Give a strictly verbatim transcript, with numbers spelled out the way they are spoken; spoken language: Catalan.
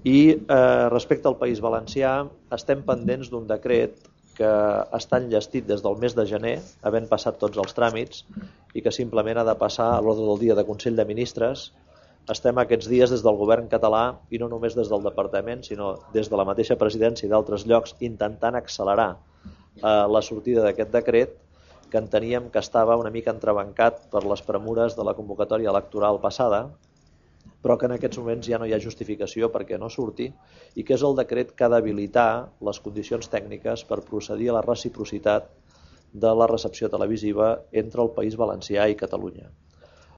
I eh, respecte al País Valencià, estem pendents d'un decret que està enllestit des del mes de gener, havent passat tots els tràmits, i que simplement ha de passar a l'ordre del dia de Consell de Ministres. Estem aquests dies des del govern català, i no només des del departament, sinó des de la mateixa presidència i d'altres llocs, intentant accelerar eh, la sortida d'aquest decret, que enteníem que estava una mica entrebancat per les premures de la convocatòria electoral passada, però que en aquests moments ja no hi ha justificació perquè no surti, i que és el decret que ha d'habilitar les condicions tècniques per procedir a la reciprocitat de la recepció televisiva entre el País Valencià i Catalunya.